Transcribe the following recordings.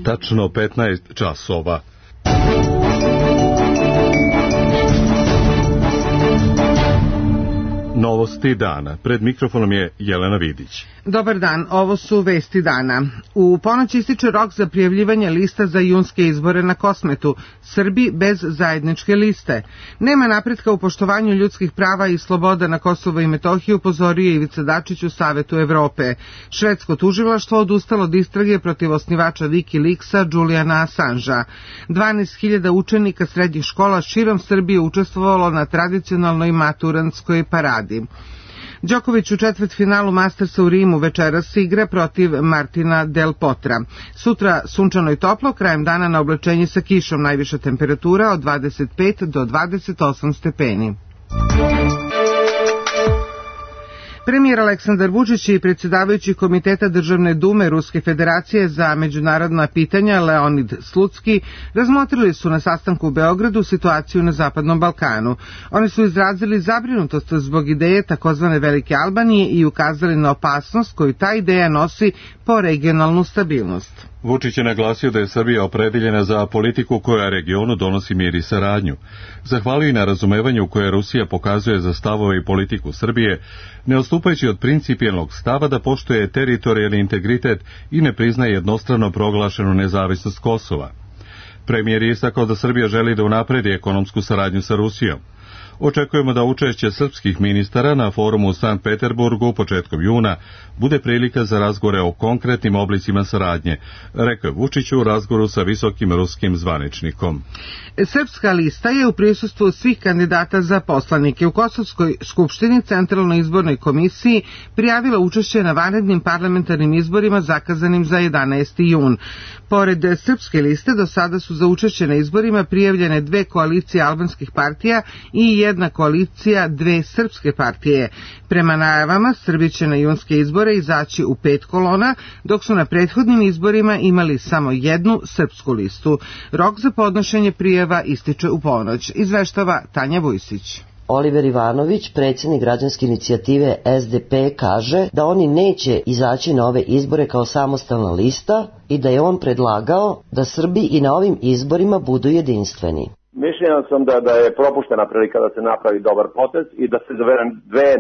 Tačno 15 časova. Novosti dana. Pred mikrofonom je Jelena Vidić. Dobar dan, ovo su vesti dana. U ponoć ističe rok za prijavljivanje lista za junske izbore na Kosmetu. Srbi bez zajedničke liste. Nema napretka u poštovanju ljudskih prava i sloboda na Kosovo i Metohiju, upozorio Ivica Dačić u Savetu Evrope. Švedsko tužilaštvo odustalo od istrage protiv osnivača Wikileaksa Juliana Assangea. 12.000 učenika srednjih škola širom Srbije učestvovalo na tradicionalnoj maturantskoj paradi. Đoković u četvrtfinalu Mastersa u Rimu večeras igra protiv Martina Del Potra. Sutra sunčano i toplo, krajem dana na oblačenje sa kišom, najviša temperatura od 25 do 28 stepeni. Premijer Aleksandar Vučić i predsjedavajući Komiteta Državne dume Ruske federacije za međunarodna pitanja Leonid Slutski razmotrili su na sastanku u Beogradu situaciju na Zapadnom Balkanu. Oni su izrazili zabrinutost zbog ideje takozvane Velike Albanije i ukazali na opasnost koju ta ideja nosi po regionalnu stabilnost. Vučić je naglasio da je Srbija opredeljena za politiku koja regionu donosi mir i saradnju. Zahvalio i na razumevanju koje Rusija pokazuje za stavove i politiku Srbije, ne odstupajući od principijelnog stava da poštuje teritorijalni integritet i ne priznaje jednostrano proglašenu nezavisnost Kosova. Premijer je istakao da Srbija želi da unapredi ekonomsku saradnju sa Rusijom. Očekujemo da učešće srpskih ministara na forumu u Sankt Peterburgu početkom juna bude prilika za razgovore o konkretnim oblicima saradnje, rekao je Vučić u razgovoru sa visokim ruskim zvaničnikom. Srpska lista je u prisustvu svih kandidata za poslanike u Kosovskoj skupštini Centralnoj izbornoj komisiji prijavila učešće na vanrednim parlamentarnim izborima zakazanim za 11. jun. Pored srpske liste do sada su za učešće na izborima prijavljene 2 koalicije albanskih partija i 1 koalicija 2 srpske partije. Prema najavama, Srbi će na junske izbore izaći u 5 kolona, dok su na prethodnim izborima imali samo 1 srpsku listu. Rok za podnošenje prijava ističe u ponoć, izveštava Tanja Vujsić. Oliver Ivanović, predsjednik građanske inicijative SDP, kaže da oni neće izaći na ove izbore kao samostalna lista i da je on predlagao da Srbi i na ovim izborima budu jedinstveni. Mišljenja sam da je propuštena prilika da se napravi dobar potez i da se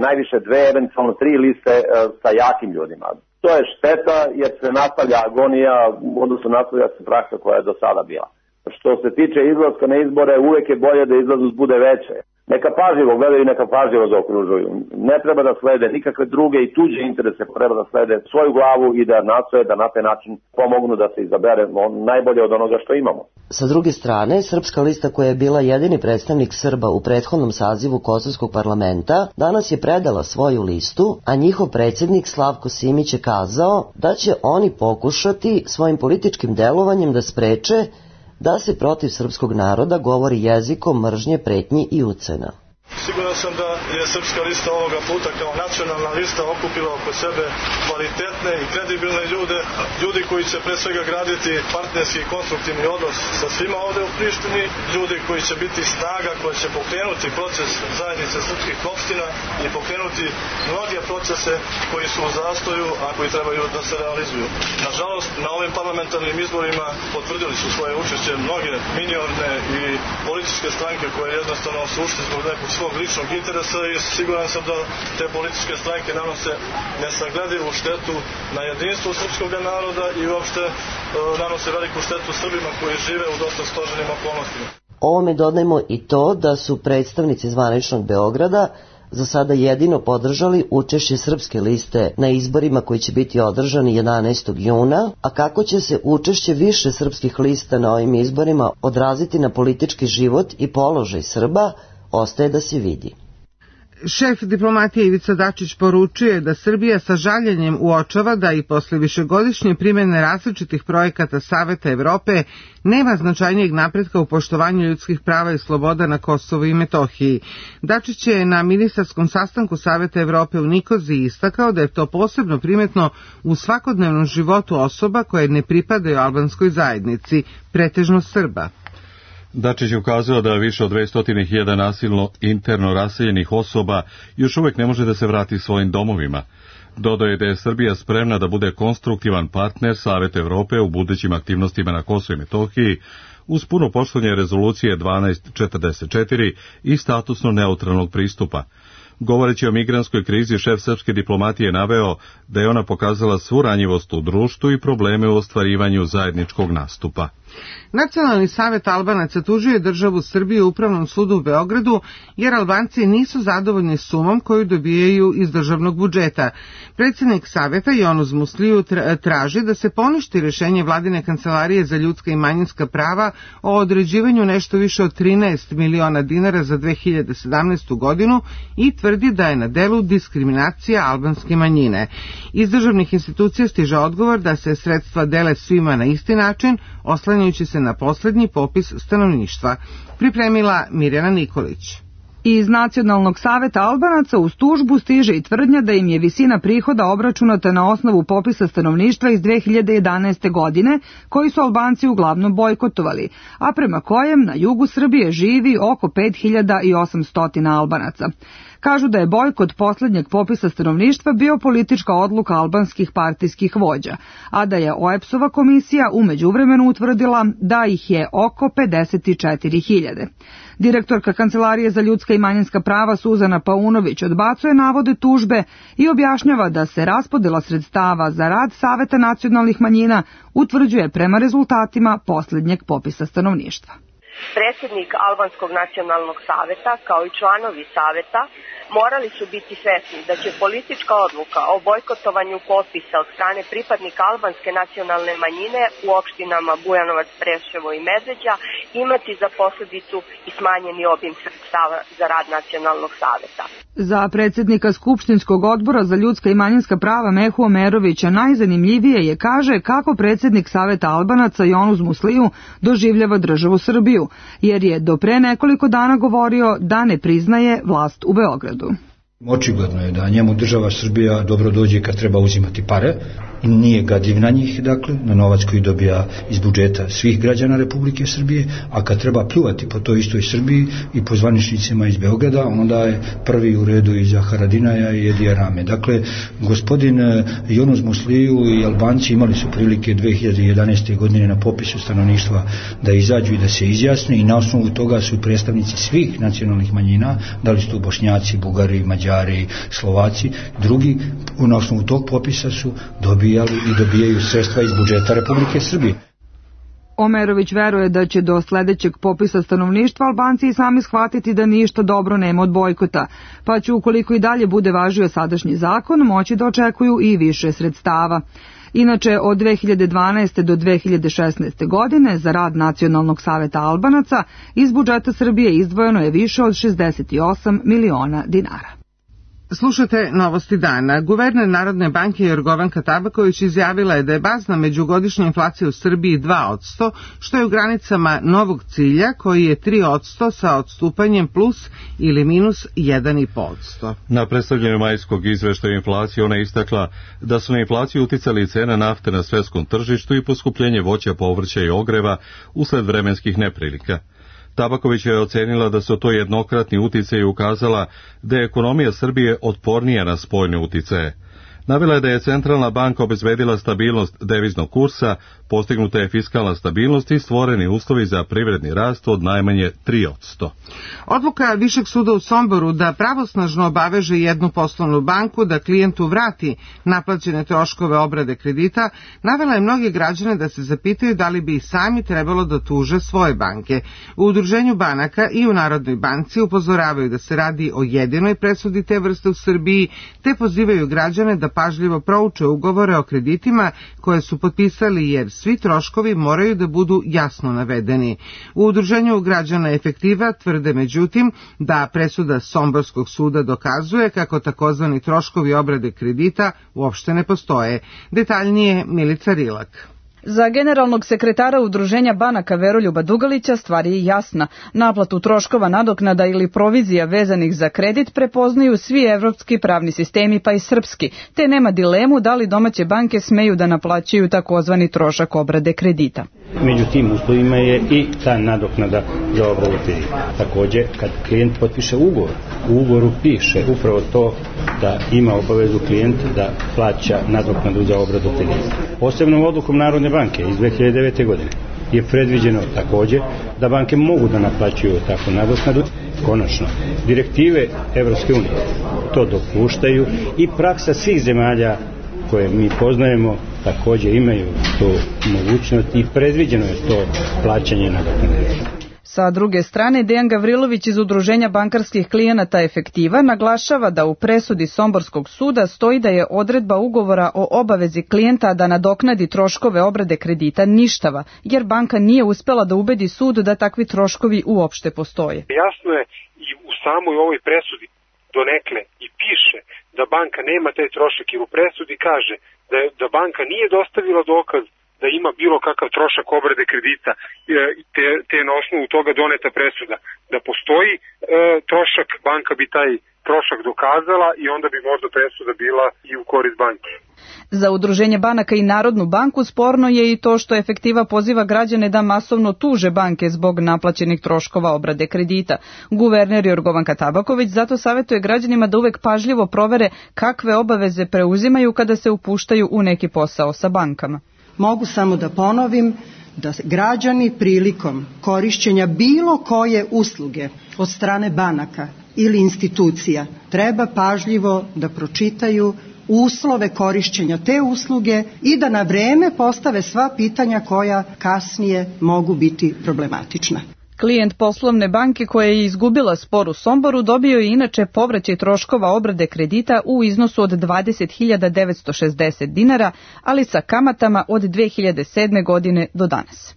najviše dve, eventualno 3 liste sa jakim ljudima. To je šteta jer se nastavlja agonija, odnosno nastavlja se praksa koja je do sada bila. Što se tiče izlaska na izbore, uvek je bolje da izlaznost bude veće. Neka pažljivo gledaju i neka pažljivo zaokružuju. Ne treba da slede nikakve druge i tuđe interese, treba da slede svoju glavu i da nastoje da na taj način pomognu da se izabere najbolje od onoga što imamo. Sa druge strane, Srpska lista koja je bila jedini predstavnik Srba u prethodnom sazivu Kosovskog parlamenta, danas je predala svoju listu, a njihov predsjednik Slavko Simić je kazao da će oni pokušati svojim političkim delovanjem da spreče da se protiv srpskog naroda govori jezikom mržnje, pretnji i ucena. Siguran sam da je Srpska lista ovoga puta kao nacionalna lista okupila oko sebe kvalitetne i kredibilne ljudi koji će pre svega graditi partnerski i konstruktivni odnos sa svima ovde u Prištini, ljudi koji će biti snaga koja će pokrenuti proces zajednice srpskih opština i pokrenuti mnoge procese koji su u zastoju, a koji trebaju da se realizuju. Nažalost, na ovim parlamentarnim izborima potvrdili su svoje učešće mnoge minorne i političke stranke koje jednostavno su ušli zbog nekog svog ličnog interesa i siguran sam da te političke stranke nanose nesagledivu štetu na jedinstvu srpskog naroda i uopšte nanose veliku štetu Srbima koji žive u dosta složenim okolnostima. Ovome dodajmo i to da su predstavnici zvaničnog Beograda za sada jedino podržali učešće Srpske liste na izborima koji će biti održani 11. juna, a kako će se učešće više srpskih lista na ovim izborima odraziti na politički život i položaj Srba, ostaje da se vidi. Šef diplomatije Ivica Dačić poručuje da Srbija sa žaljenjem uočava da i posle višegodišnje primjene različitih projekata Saveta Evrope nema značajnijeg napretka u poštovanju ljudskih prava i sloboda na Kosovu i Metohiji. Dačić je na ministarskom sastanku Saveta Evrope u Nikoziji istakao da je to posebno primetno u svakodnevnom životu osoba koje ne pripadaju albanskoj zajednici, pretežno Srba. Dačić je ukazao da više od 200.000 nasilno interno raseljenih osoba još uvek ne može da se vrati svojim domovima. Dodaje da je Srbija spremna da bude konstruktivan partner Saveta Evrope u budućim aktivnostima na Kosovu i Metohiji uz puno poštovanje rezolucije 1244 i statusno neutralnog pristupa. Govoreći o migrantskoj krizi, šef srpske diplomatije naveo da je ona pokazala svu ranjivost u društvu i probleme u ostvarivanju zajedničkog nastupa. Nacionalni savet Albanaca tužio državu Srbiju u Upravnom sudu u Beogradu jer Albanci nisu zadovoljni sumom koju dobijaju iz državnog budžeta. Predsjednik saveta Jonuz Musliju traži da se poništi rješenje Vladine kancelarije za ljudska i manjinska prava o određivanju nešto više od 13 miliona dinara za 2017. godinu i tvrdi da je na delu diskriminacija albanske manjine. Iz državnih institucija stiže odgovor da se sredstva dele svima na isti način, oslanjajući se na posljednji popis stanovništva. Pripremila Mirjana Nikolić. Iz Nacionalnog saveta Albanaca uz tužbu stiže i tvrdnja da im je visina prihoda obračunata na osnovu popisa stanovništva iz 2011. godine, koji su Albanci uglavnom bojkotovali, a prema kojem na jugu Srbije živi oko 5800 Albanaca. Kažu da je bojkot posljednjeg popisa stanovništva bio politička odluka albanskih partijskih vođa, a da je OEBS-ova komisija u međuvremenu utvrdila da ih je oko 54.000. Direktorka Kancelarije za ljudska i manjinska prava Suzana Paunović odbacuje navode tužbe i objašnjava da se raspodjela sredstava za rad Saveta nacionalnih manjina utvrđuje prema rezultatima posljednjeg popisa stanovništva. Predsjednik Albanskog nacionalnog saveta kao i članovi saveta morali su biti svesni da će politička odluka o bojkotovanju popisa od strane pripadnika albanske nacionalne manjine u opštinama Bujanovac, Preševo i Medveđa imati za posljedicu i smanjeni obim sredstava za rad nacionalnog saveta. Za predsjednika Skupštinskog odbora za ljudska i manjinska prava Mehu Omerovića najzanimljivije je, kaže, kako predsjednik Saveta Albanaca Jonuz Musliju doživljava državu Srbiju, jer je do pre nekoliko dana govorio da ne priznaje vlast u Beogradu. Očigledno je da njemu država Srbija dobro dođe kad treba uzimati pare i nije gadljiv na njih, dakle, na novac koji dobija iz budžeta svih građana Republike Srbije, a kad treba pljuvati po toj istoj Srbiji i po zvaničnicima iz Beograda, onda je prvi u redu iza Haradinaja i Edija Rame. Dakle, gospodin Jonuz Musliju i Albanci imali su prilike 2011. godine na popisu stanovništva da izađu i da se izjasne i na osnovu toga su predstavnici svih nacionalnih manjina, da li su to Bošnjaci, Bugari, Mađari, Slovaci, drugi na osnovu tog popisa su dobijali i dobijaju sredstva iz budžeta Republike Srbije. Omerović veruje da će do sljedećeg popisa stanovništva Albanci i sami shvatiti da ništa dobro nema od bojkota, pa će, ukoliko i dalje bude važio sadašnji zakon, moći da očekuju i više sredstava. Inače, od 2012. do 2016. godine za rad Nacionalnog saveta Albanaca iz budžeta Srbije izdvojeno je više od 68 miliona dinara. Slušate Novosti dana. Guverner Narodne banke Jorgovanka Tabaković izjavila je da je bazna međugodišnja inflacija u Srbiji 2%, što je u granicama novog cilja koji je 3% sa odstupanjem plus ili minus 1,5%. Na predstavljanju majskog izveštaja inflacije ona je istakla da su na inflaciju uticali cena nafte na svjetskom tržištu i poskupljenje voća, povrća i ogreva usled vremenskih neprilika. Tabaković je ocenila da su to jednokratni uticaji i ukazala da je ekonomija Srbije otpornija na spoljne uticaje. Navela je da je centralna banka obezbedila stabilnost deviznog kursa, postignuta je fiskalna stabilnost i stvoreni uslovi za privredni rast od najmanje 3%. Odluka Višeg suda u Somboru da pravosnažno obaveže jednu poslovnu banku da klijentu vrati naplaćene troškove obrade kredita navela je mnoge građane da se zapitaju da li bi i sami trebalo da tuže svoje banke. U Udruženju banaka i u Narodnoj banci upozoravaju da se radi o jedinoj presudi te vrste u Srbiji, te pozivaju građane da pažljivo prouče ugovore o kreditima koje su potpisali, jer svi troškovi moraju da budu jasno navedeni. U Udruženju građana Efektiva tvrde međutim da presuda Somborskog suda dokazuje kako takozvani troškovi obrade kredita uopšte ne postoje. Detaljnije Milica Rilak. Za generalnog sekretara Udruženja banaka Veroljuba Dugalića stvar je jasna. Naplatu troškova nadoknada ili provizija vezanih za kredit prepoznaju svi evropski pravni sistemi pa i srpski, te nema dilemu da li domaće banke smeju da naplaćuju takozvani trošak obrade kredita. Među tim uslovima je i ta nadoknada za obradu kredita. Također, kad klijent potpiše ugovor, u ugovoru piše upravo to da ima obavezu klijent da plaća nadoknadu za obradu kredita. Posebnom odlukom Narodne banke iz 2009. godine je predviđeno također da banke mogu da naplaćuju takvu nadoknadu. Konačno, direktive Evropske unije to dopuštaju i praksa svih zemalja koje mi poznajemo također imaju tu mogućnost i predviđeno je to plaćanje nadoknade. Sa druge strane, Dejan Gavrilović iz Udruženja bankarskih klijenata Efektiva naglašava da u presudi Somborskog suda stoji da je odredba ugovora o obavezi klijenta da nadoknadi troškove obrade kredita ništava, jer banka nije uspela da ubedi sud da takvi troškovi uopšte postoje. Jasno je i u samoj ovoj presudi donekle i piše da banka nema taj trošak, jer u presudi kaže da banka nije dostavila dokaz da ima bilo kakav trošak obrade kredita, te na osnovu toga doneta presuda. Da postoji trošak, banka bi taj trošak dokazala i onda bi možda presuda bila i u korist banke. Za Udruženje banaka i Narodnu banku sporno je i to što Efektiva poziva građane da masovno tuže banke zbog naplaćenih troškova obrade kredita. Guverner Jorgovanka Tabaković zato savjetuje građanima da uvek pažljivo provere kakve obaveze preuzimaju kada se upuštaju u neki posao sa bankama. Mogu samo da ponovim da građani prilikom korišćenja bilo koje usluge od strane banaka ili institucija treba pažljivo da pročitaju uslove korišćenja te usluge i da na vreme postave sva pitanja koja kasnije mogu biti problematična. Klijent poslovne banke koja je izgubila spor u Somboru dobio je inače povraćaj troškova obrade kredita u iznosu od 20.960 dinara, ali sa kamatama od 2007. godine do danas.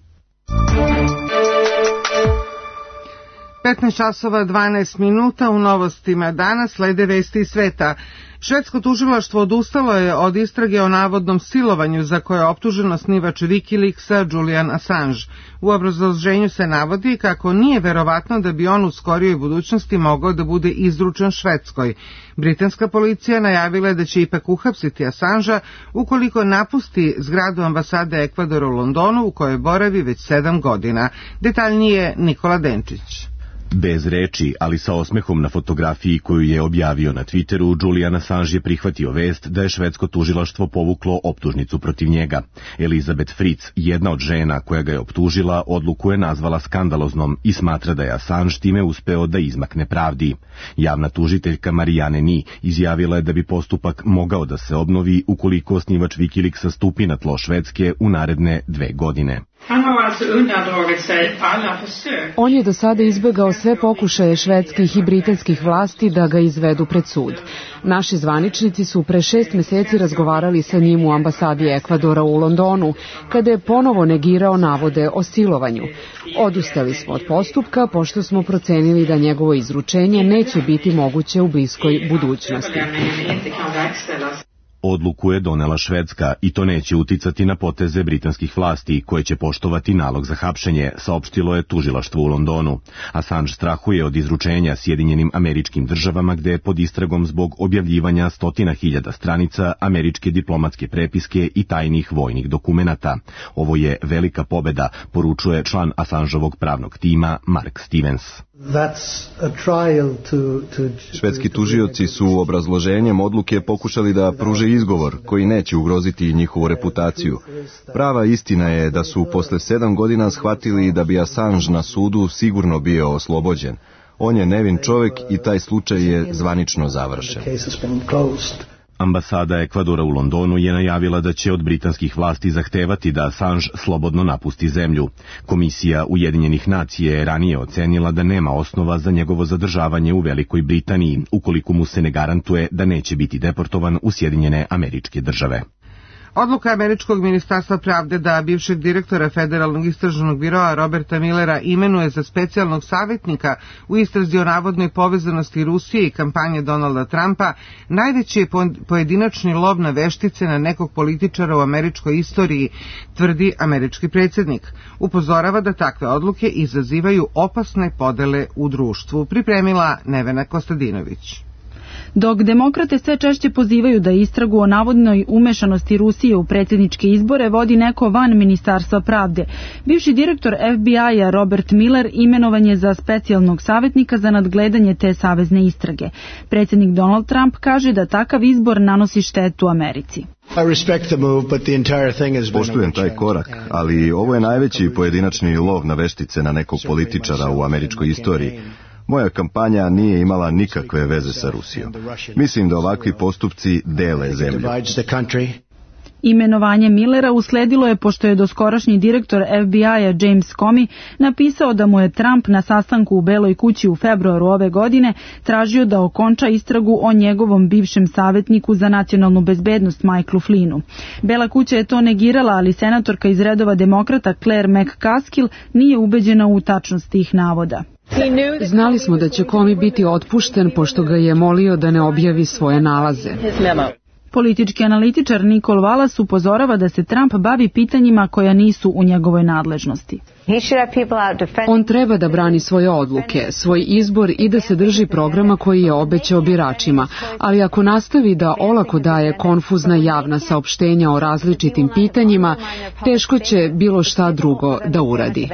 15 časova 12 minuta u novostima danas slede vesti iz sveta. Švedsko tužilaštvo odustalo je od istrage o navodnom silovanju za koje je optužen osnivač Wikileaksa Julian Assange. U obrazloženju se navodi kako nije verovatno da bi on u skorijoj budućnosti mogao da bude izručen Švedskoj. Britanska policija najavila je da će ipak uhapsiti Assangea ukoliko napusti zgradu ambasade Ekvadora u Londonu u kojoj boravi već 7 godina. Detaljnije Nikola Denčić. Bez reči, ali sa osmehom na fotografiji koju je objavio na Twitteru, Julian Assange je prihvatio vest da je švedsko tužilaštvo povuklo optužnicu protiv njega. Elizabeth Fritz, jedna od žena koja ga je optužila, odluku je nazvala skandaloznom i smatra da je Assange time uspeo da izmakne pravdi. Javna tužiteljka Marianne Ni izjavila je da bi postupak mogao da se obnovi ukoliko osnivač Wikileaksa stupi na tlo Švedske u naredne 2 godine. On je do sada izbjegao sve pokušaje švedskih i britanskih vlasti da ga izvedu pred sud. Naši zvaničnici su pre 6 meseci razgovarali sa njim u ambasadi Ekvadora u Londonu, kada je ponovo negirao navode o silovanju. Odustali smo od postupka, pošto smo procenili da njegovo izručenje neće biti moguće u bliskoj budućnosti. Odluku je donela Švedska i to neće uticati na poteze britanskih vlasti koje će poštovati nalog za hapšenje, saopštilo je tužilaštvo u Londonu. Assange strahuje od izručenja Sjedinjenim Američkim Državama gde je pod istragom zbog objavljivanja 100.000 stranica američke diplomatske prepiske i tajnih vojnih dokumenata. Ovo je velika pobeda, poručuje član Assangeovog pravnog tima Mark Stevens. Švedski tužioci su obrazloženjem odluke pokušali da pruže izgovor koji neće ugroziti njihovu reputaciju. Prava istina je da su posle 7 godina shvatili da bi Assange na sudu sigurno bio oslobođen. On je nevin čovjek i taj slučaj je zvanično završen. Ambasada Ekvadora u Londonu je najavila da će od britanskih vlasti zahtevati da Assange slobodno napusti zemlju. Komisija Ujedinjenih nacija je ranije ocenila da nema osnova za njegovo zadržavanje u Velikoj Britaniji, ukoliko mu se ne garantuje da neće biti deportovan u Sjedinjene Američke Države. Odluka Američkog ministarstva pravde da bivšeg direktora Federalnog istražnog biroa Roberta Millera imenuje za specijalnog savjetnika u istrazi o navodnoj povezanosti Rusije i kampanje Donalda Trumpa najveći je pojedinačni lov na veštice na nekog političara u američkoj istoriji, tvrdi američki predsjednik. Upozorava da takve odluke izazivaju opasne podele u društvu. Pripremila Nevena Kostadinović. Dok demokrate sve češće pozivaju da istragu o navodnoj umešanosti Rusije u predsjedničke izbore vodi neko van Ministarstva pravde, bivši direktor FBI-a Robert Mueller imenovan je za specijalnog savjetnika za nadgledanje te savezne istrage. Predsjednik Donald Trump kaže da takav izbor nanosi štetu Americi. Poštujem taj korak, ali ovo je najveći pojedinačni lov na veštice na nekog političara u američkoj istoriji. Moja kampanja nije imala nikakve veze sa Rusijom. Mislim da ovakvi postupci dele zemlju. Imenovanje Millera usledilo je pošto je doskorašnji direktor FBI-a James Comey napisao da mu je Trump na sastanku u Beloj kući u februaru ove godine tražio da okonča istragu o njegovom bivšem savjetniku za nacionalnu bezbednost Michaelu Flynnu. Bela kuća je to negirala, ali senatorka iz redova demokrata Claire McCaskill nije ubeđena u tačnost tih navoda. Znali smo da će Comey biti otpušten pošto ga je molio da ne objavi svoje nalaze. Politički analitičar Nicole Wallace upozorava da se Trump bavi pitanjima koja nisu u njegovoj nadležnosti. On treba da brani svoje odluke, svoj izbor i da se drži programa koji je obećao biračima, ali ako nastavi da olako daje konfuzna javna saopštenja o različitim pitanjima, teško će bilo šta drugo da uradi.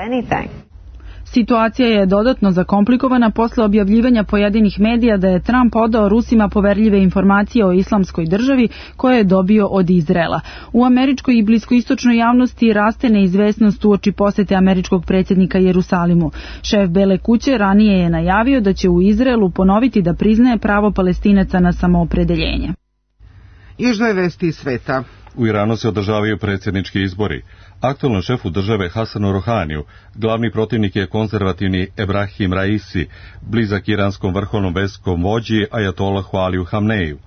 Situacija je dodatno zakomplikovana posle objavljivanja pojedinih medija da je Trump odao Rusima poverljive informacije o islamskoj državi koje je dobio od Izraela. U američkoj i bliskoistočnoj javnosti raste neizvesnost uoči posete američkog predsjednika Jerusalimu. Šef Bele kuće ranije je najavio da će u Izraelu ponoviti da priznaje pravo Palestinaca na samoopredeljenje. Još dve vesti iz sveta. U Iranu se održavaju predsjednički izbori. Aktualnom šefu države Hasanu Rohaniju glavni protivnik je konzervativni Ebrahim Raisi, blizak iranskom vrhovnom verskom vođi Ajatolahu Aliju Hamneju.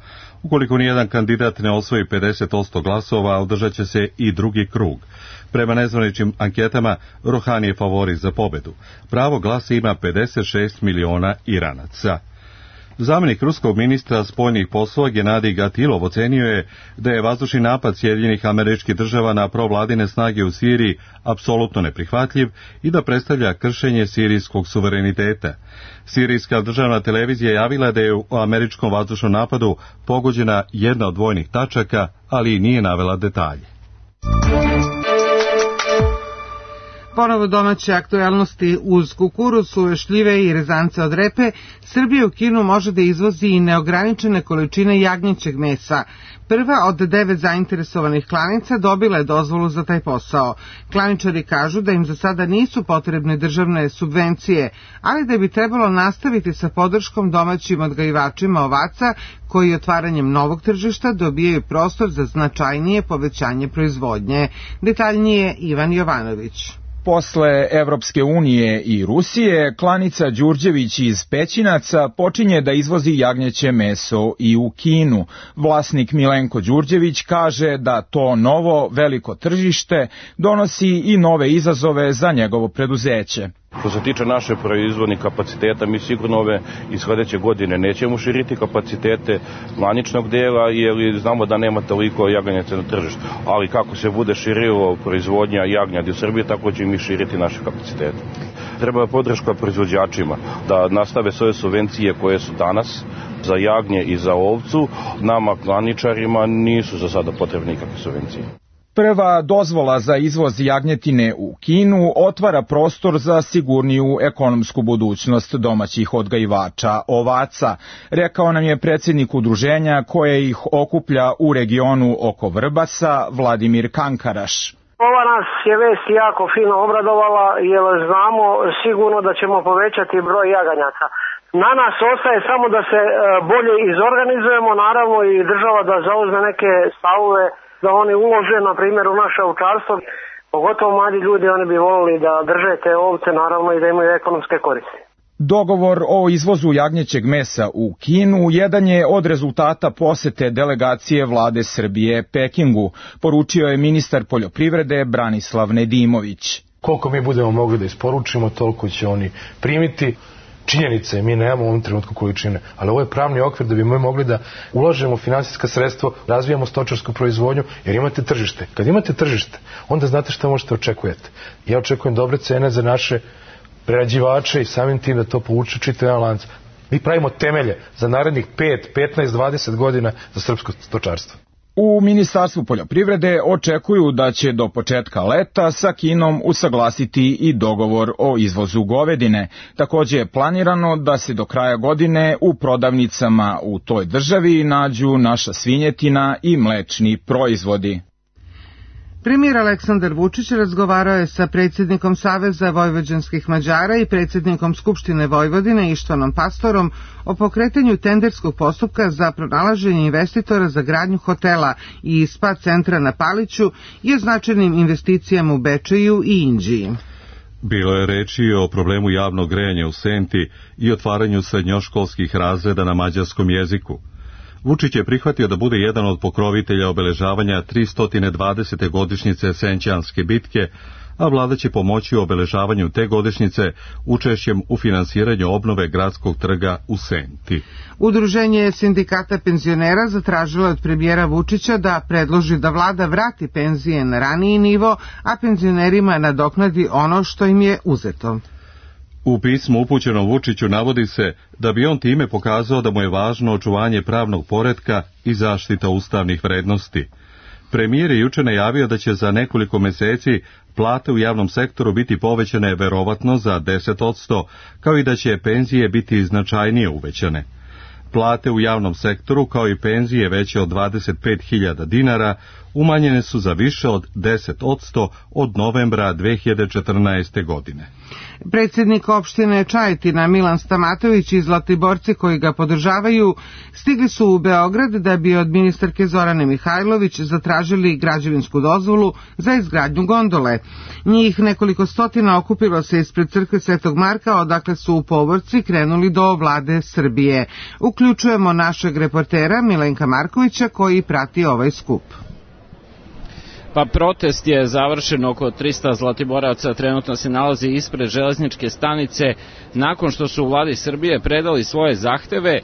Ukoliko nijedan kandidat ne osvoji 50% glasova, održat će se i drugi krug. Prema nezvaničnim anketama, Rohani je favorit za pobedu. Pravo glasa ima 56 miliona Iranaca. Zamjenik ruskog ministra spoljnih poslova Genadij Gatilov ocenio je da je vazdušni napad Sjedinjenih Američkih Država na provladine snage u Siriji apsolutno neprihvatljiv i da predstavlja kršenje sirijskog suvereniteta. Sirijska državna televizija javila da je u američkom vazdušnom napadu pogođena jedna od vojnih tačaka, ali nije navela detalje. Ponovo domaće aktualnosti uz kukuruz, suve šljive i rezance od repe, Srbija u Kinu može da izvozi i neograničene količine jagnjećeg mesa. Prva od 9 zainteresovanih klanica dobila je dozvolu za taj posao. Klaničari kažu da im za sada nisu potrebne državne subvencije, ali da bi trebalo nastaviti sa podrškom domaćim odgajivačima ovaca koji otvaranjem novog tržišta dobijaju prostor za značajnije povećanje proizvodnje. Detaljnije Ivan Jovanović. Posle Evropske unije i Rusije, klanica Đurđević iz Pećinaca počinje da izvozi jagnjeće meso i u Kinu. Vlasnik Milenko Đurđević kaže da to novo veliko tržište donosi i nove izazove za njegovo preduzeće. Što se tiče naše proizvodnih kapaciteta, mi sigurno ove iz sledeće godine nećemo širiti kapacitete klaničnog dela, jer znamo da nema toliko jagnjeca na tržištu. Ali kako se bude širilo proizvodnja jagnjadi u Srbiji, tako će mi širiti naše kapacitete. Treba podrška proizvođačima da nastave svoje subvencije koje su danas za jagnje i za ovcu. Nama klaničarima nisu za sada potrebne nikakve subvencije. Prva dozvola za izvoz jagnjetine u Kinu otvara prostor za sigurniju ekonomsku budućnost domaćih odgajivača ovaca, rekao nam je predsjednik udruženja koje ih okuplja u regionu oko Vrbasa, Vladimir Kankaraš. Ova nas je vest jako fino obradovala jer znamo sigurno da ćemo povećati broj jaganjaka. Na nas ostaje samo da se bolje izorganizujemo, naravno i država da zauzme neke stavove, da oni ulože, na primjer, u naše ovčarstvo. Pogotovo mladi ljudi, oni bi volili da drže te ovce, naravno, i da imaju ekonomske koristi. Dogovor o izvozu jagnjećeg mesa u Kinu jedan je od rezultata posete delegacije vlade Srbije Pekingu, poručio je ministar poljoprivrede Branislav Nedimović. Koliko mi budemo mogli da isporučimo, toliko će oni primiti. Činjenica je, mi nemamo u ovom trenutku količine, ali ovo je pravni okvir da bi mi mogli da ulažemo finansijska sredstva, razvijamo stočarsku proizvodnju, jer imate tržište. Kad imate tržište, onda znate šta možete očekujete. Ja očekujem dobre cene za naše prerađivače i samim tim da to povuče čitav jedan lanac. Mi pravimo temelje za narednih 5, 15, 20 godina za srpsko stočarstvo. U Ministarstvu poljoprivrede očekuju da će do početka leta sa Kinom usaglasiti i dogovor o izvozu govedine. Takođe je planirano da se do kraja godine u prodavnicama u toj državi nađu naša svinjetina i mlečni proizvodi. Premijer Aleksandar Vučić razgovarao je sa predsjednikom Saveza vojvođanskih Mađara i predsjednikom Skupštine Vojvodine Ištvanom Pastorom o pokretanju tenderskog postupka za pronalaženje investitora za gradnju hotela i spa centra na Paliću i o značajnim investicijama u Bečeju i Inđiji. Bilo je reči o problemu javnog grejanja u Senti i otvaranju srednjoškolskih razreda na mađarskom jeziku. Vučić je prihvatio da bude jedan od pokrovitelja obeležavanja 320. godišnjice Senćanske bitke, a vlada će pomoći u obeležavanju te godišnjice učešćem u finansiranju obnove gradskog trga u Senti. Udruženje sindikata penzionera zatražilo od premijera Vučića da predloži da vlada vrati penzije na raniji nivo, a penzionerima nadoknadi ono što im je uzeto. U pismu upućenom Vučiću navodi se da bi on time pokazao da mu je važno očuvanje pravnog poretka i zaštita ustavnih vrednosti. Premijer je juče najavio da će za nekoliko meseci plate u javnom sektoru biti povećane verovatno za 10%, kao i da će penzije biti značajnije uvećane. Plate u javnom sektoru, kao i penzije veće od 25.000 dinara, umanjene su za više od 10% od novembra 2014. godine. Predsjednik opštine Čajetina Milan Stamatović i Zlatiborci koji ga podržavaju stigli su u Beograd da bi od ministarke Zorane Mihajlović zatražili građevinsku dozvolu za izgradnju gondole. Njih nekoliko stotina okupilo se ispred crkve Svetog Marka, odakle su u povorci krenuli do vlade Srbije. Uključujemo našeg reportera Milenka Markovića koji prati ovaj skup. Pa protest je završen, oko 300 Zlatiboraca trenutno se nalazi ispred železničke stanice nakon što su u vladi Srbije predali svoje zahteve.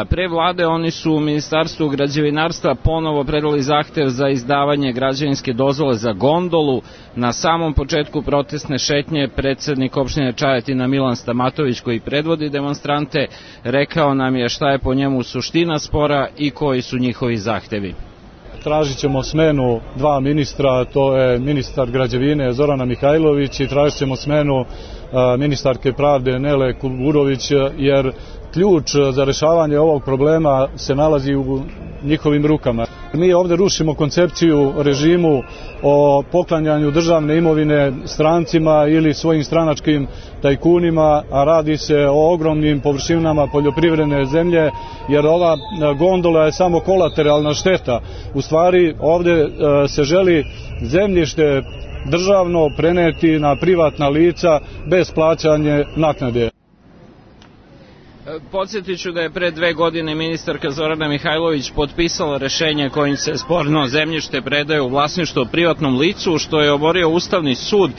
Pre vlade oni su u Ministarstvu građevinarstva ponovo predali zahtev za izdavanje građevinske dozvole za gondolu. Na samom početku protestne šetnje predsjednik opštine Čajetina Milan Stamatović, koji predvodi demonstrante, rekao nam je šta je po njemu suština spora i koji su njihovi zahtevi. Tražit ćemo smenu dva ministra, to je ministar građevine Zorana Mihajlović i tražit ćemo smenu ministarke pravde Nele Kuburović, jer ključ za rešavanje ovog problema se nalazi u njihovim rukama. Mi ovdje rušimo koncepciju režimu o poklanjanju državne imovine strancima ili svojim stranačkim tajkunima, a radi se o ogromnim površinama poljoprivredne zemlje, jer ova gondola je samo kolateralna šteta. U stvari ovdje se želi zemljište državno preneti na privatna lica bez plaćanja naknade. Podsjetit ću da je pre 2 godine ministarka Zorana Mihajlović potpisala rešenje kojim se sporno zemljište predaje u vlasništvo privatnom licu, što je oborio Ustavni sud.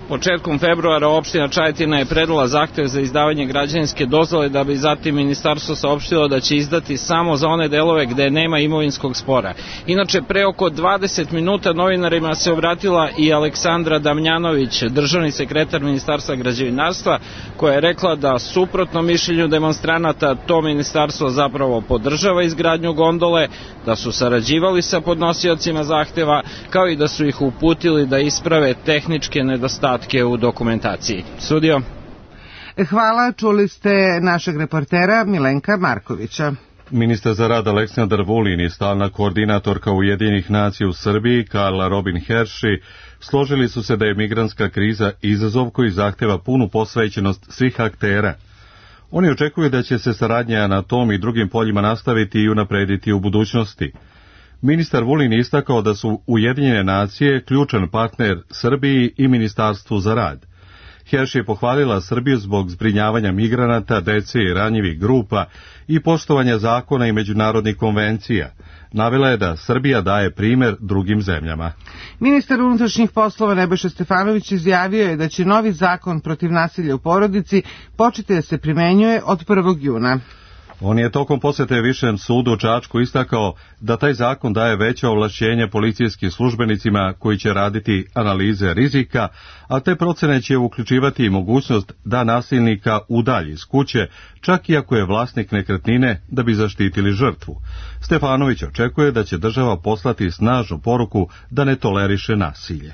Početkom februara opština Čajetina je predala zahtev za izdavanje građevinske dozvole, da bi zatim ministarstvo saopštilo da će izdati samo za one delove gde nema imovinskog spora. Inače, pre oko 20 minuta novinarima se obratila i Aleksandra Damjanović, državni sekretar Ministarstva građevinarstva, koja je rekla da suprotno mišljenju demonstranata to ministarstvo zapravo podržava izgradnju gondole, da su sarađivali sa podnosiocima zahteva, kao i da su ih uputili da isprave tehničke nedostatke u dokumentaciji. Studio. Hvala, čuli ste našeg reportera Milenka Markovića. Ministar za rad Aleksandar Vulin i stalna koordinatorka Ujedinjenih nacija u Srbiji Karla Robin Herši složili su se da je migrantska kriza izazov koji zahteva punu posvećenost svih aktera. Oni očekuju da će se saradnja na tom i drugim poljima nastaviti i unaprediti u budućnosti. Ministar Vulin istakao da su Ujedinjene nacije ključan partner Srbiji i Ministarstvu za rad. Herši je pohvalila Srbiju zbog zbrinjavanja migranata, dece i ranjivih grupa i poštovanja zakona i međunarodnih konvencija. Navela je da Srbija daje primer drugim zemljama. Ministar unutrašnjih poslova Nebojša Stefanović izjavio je da će novi zakon protiv nasilja u porodici početi da se primenjuje od 1. juna. On je tokom posjete Višem sudu u Čačku istakao da taj zakon daje veće ovlašćenje policijskim službenicima koji će raditi analize rizika, a te procene će uključivati i mogućnost da nasilnika udalji iz kuće, čak i ako je vlasnik nekretnine, da bi zaštitili žrtvu. Stefanović očekuje da će država poslati snažnu poruku da ne toleriše nasilje.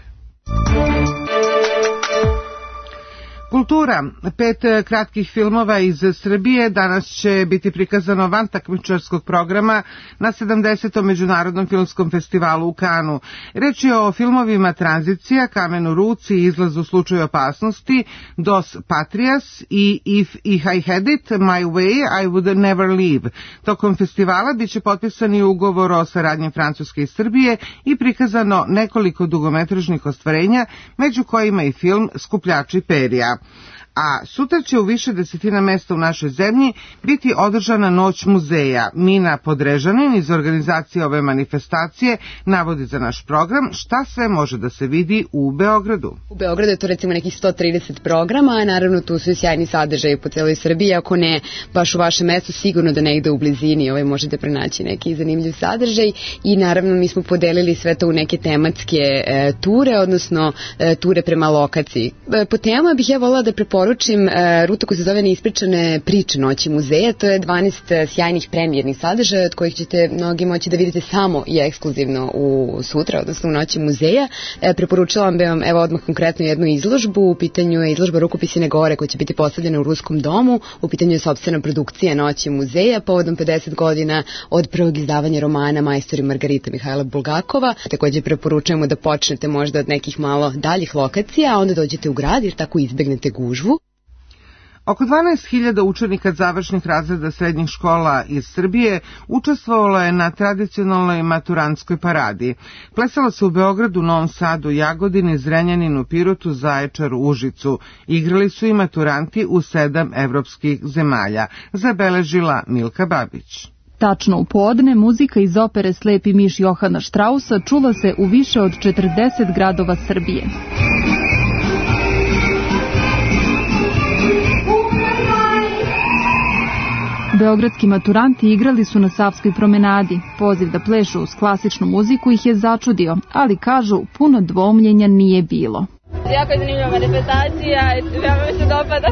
Kultura. 5 kratkih filmova iz Srbije danas će biti prikazano van takmičarskog programa na 70. Međunarodnom filmskom festivalu u Kanu. Reč je o filmovima Tranzicija, Kamen u ruci, Izlaz u slučaju opasnosti, Dos Patrias i If I Had It My Way, I Would Never Leave. Tokom festivala biće potpisani ugovor o saradnji Francuske i Srbije i prikazano nekoliko dugometražnih ostvarenja, među kojima i film Skupljači perja. A sutra će u više desetina mesta u našoj zemlji biti održana Noć muzeja. Mina Podrežanin iz organizacije ove manifestacije navodi za naš program šta sve može da se vidi u Beogradu. U Beogradu je to recimo nekih 130 programa, a naravno tu su i sjajni sadržaji po celoj Srbiji. Ako ne baš u vašem mestu, sigurno da negde u blizini možete pronaći neki zanimljiv sadržaj i naravno mi smo podelili sve to u neke tematske ture, odnosno ture prema lokaciji. Po tema bih ja volila da preporučim rutu koja se zove Neispričane priče Noći muzeja. To je 12 sjajnih premijernih sadržaja od kojih ćete mnogi moći da vidite samo i ekskluzivno u sutra, odnosno u Noći muzeja. Preporučila bih vam odmah konkretno jednu izložbu. U pitanju je izložba Rukopisine gore koja će biti postavljena u Ruskom domu. U pitanju je sopstvena produkcija Noći muzeja povodom 50 godina od prvog izdavanja romana Majstor i Margarita Mihajla Bulgakova. Također preporučujemo da počnete možda od nekih malo daljih lokacija, a onda dođete u grad jer tako izbegnete gužvu. Oko 12.000 učenika završnih razreda srednjih škola iz Srbije učestvovalo je na tradicionalnoj maturantskoj paradi. Plesalo se u Beogradu, Novom Sadu, Jagodini, Zrenjaninu, Pirotu, Zaječaru, Užicu. Igrali su i maturanti u 7 evropskih zemalja, zabeležila Milka Babić. Tačno u podne, muzika iz opere Slepi miš Johana Štrausa čula se u više od 40 gradova Srbije. Beogradski maturanti igrali su na Savskoj promenadi. Poziv da plešu uz klasičnu muziku ih je začudio, ali kažu puno dvoumljenja nije bilo. Jako je zanimljiva manifestacija i veoma mi se dopada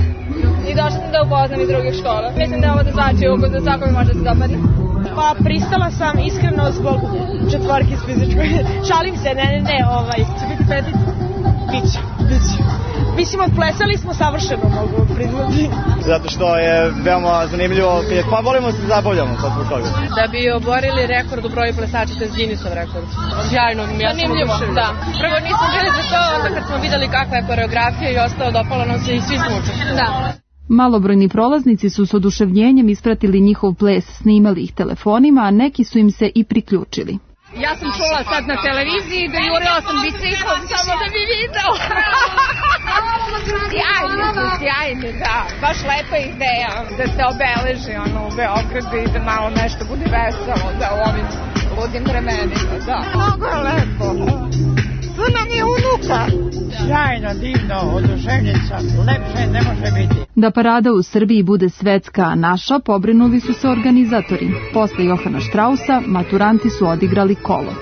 i došla sam da upoznam iz drugih škola. Mislim da je ovo da znači ukus da svakome može da se dopadne. Pa pristala sam iskreno zbog četvorke iz fizičkoj. Šalim se, ne, će biti petit? Biće. Mislim, odplesali smo savršeno, mogu priznati. Zato što je veoma zanimljivo, pa volimo se zabavljamo sad zbog toga. Da bi oborili rekord u broju plesača, to je Guinnessov rekord. Sjajno, ja sam oduševljena. Da. Prvo nismo bili za to, onda kad smo videli kakva je koreografija i ostalo, dopalo nam se i svi smo učili. Da. Malobrojni prolaznici su s oduševljenjem ispratili njihov ples, snimali ih telefonima, a neki su im se i priključili. Ja sam čula sad na televiziji da jurila sam biciklom samo da bi video. Sjajni, da. Baš lepa ideja da se obeleži u Beogradu i da malo nešto bude veselo da u ovim ludim vremenima, da. Mnogo je lepo. Tu nam je unuka. Sjajno, divno, oduševljenica, lepše ne može biti. Da parada u Srbiji bude svetska, a naša, pobrinuli su se organizatori. Posle Johana Štrausa, maturanti su odigrali kolo.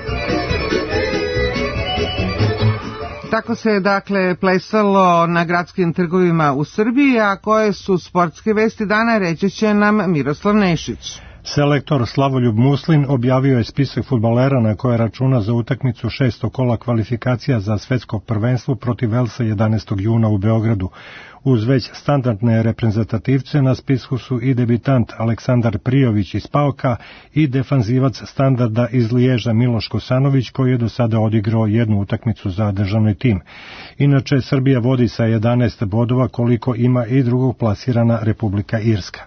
Tako se dakle plesalo na gradskim trgovima u Srbiji, a koje su sportske vesti dana reći će nam Miroslav Nešić. Selektor Slavoljub Muslin objavio je spisak fudbalera na koje računa za utakmicu 6. kola kvalifikacija za svetsko prvenstvo protiv Velsa 11. juna u Beogradu. Uz već standardne reprezentativce na spisku su i debitant Aleksandar Prijović iz Paoka i defanzivac standarda iz Liježa Miloš Kosanović koji je do sada odigrao jednu utakmicu za državni tim. Inače, Srbija vodi sa 11 bodova koliko ima i drugog plasirana Republika Irska.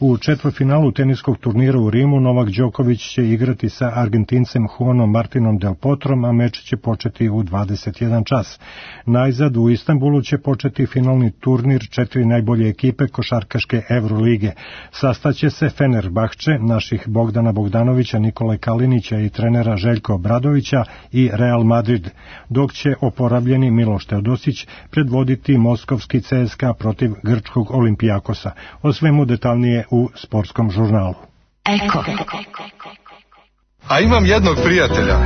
U četvrtfinalu teniskog turnira u Rimu Novak Đoković će igrati sa Argentincem Juanom Martinom Del Potrom, a meč će početi u 21 čas. Najzad u Istanbulu će početi finalni tur turnir 4 najbolje ekipe košarkaške Evrolige. Sastaće se Fenerbahče, naših Bogdana Bogdanovića, Nikole Kalinića i trenera Željko Obradovića i Real Madrid, dok će oporavljeni Miloš Teodosić predvoditi moskovski CSKA protiv grčkog Olimpijakosa. O svemu detaljnije u sportskom žurnalu. Eko. A imam jednog prijatelja.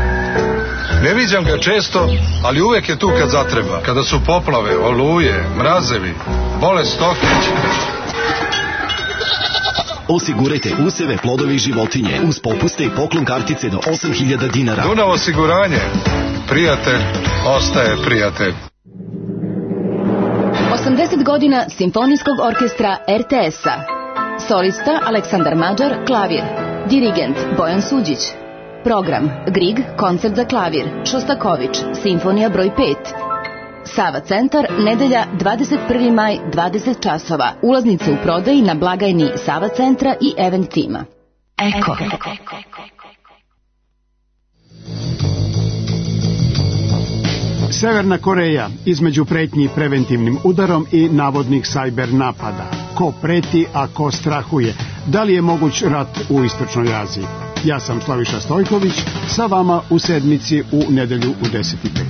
Ne viđam ga često, ali uvek je tu kad zatreba. Kada su poplave, oluje, mrazevi, bolest stoke. Osigurajte useve, plodove i životinje uz popuste i poklon kartice do 8.000 dinara. Dunav osiguranje. Prijatelj ostaje prijatelj. 80 godina Simfonijskog orkestra RTS-a. Solista Aleksandar Mađar, klavir. Dirigent Bojan Suđić. Program Grieg, koncert za klavir, Šostaković, simfonija broj 5. Sava centar, nedelja 21. maj, 20 časova. Ulaznice u prodaji na blagajni Sava centra i Event tima. Eko. Severna Koreja između pretnji preventivnim udarom i navodnih sajber napada. Ko preti, a ko strahuje? Da li je moguć rat u Istočnoj Aziji? Ja sam Slaviša Stojković, sa vama u sedmici u nedelju u 10:05.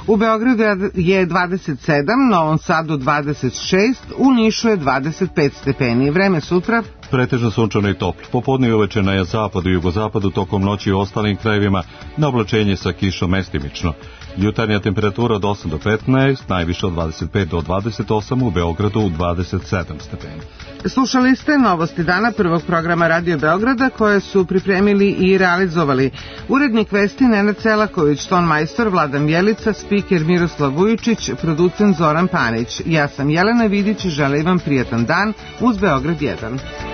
U Beogradu je 27, Novom Sadu 26, u Nišu je 25 stepeni. Vreme sutra pretežno sunčano i toplo. Popodne i uveče na zapadu i jugozapadu, tokom noći u ostalim krajevima na oblačenje sa kišom mestimično. Jutarnja temperatura od 8 do 15, najviše od 25 do 28, u Beogradu 27 stepeni. Slušali ste novosti dana prvog programa Radio Beograda koje su pripremili i realizovali urednik vesti Nenad Selaković, ton majstor Vladan Bjelica, spiker Miroslav Vujičić, producent Zoran Panić. Ja sam Jelena Vidić i želim vam prijatan dan uz Beograd 1.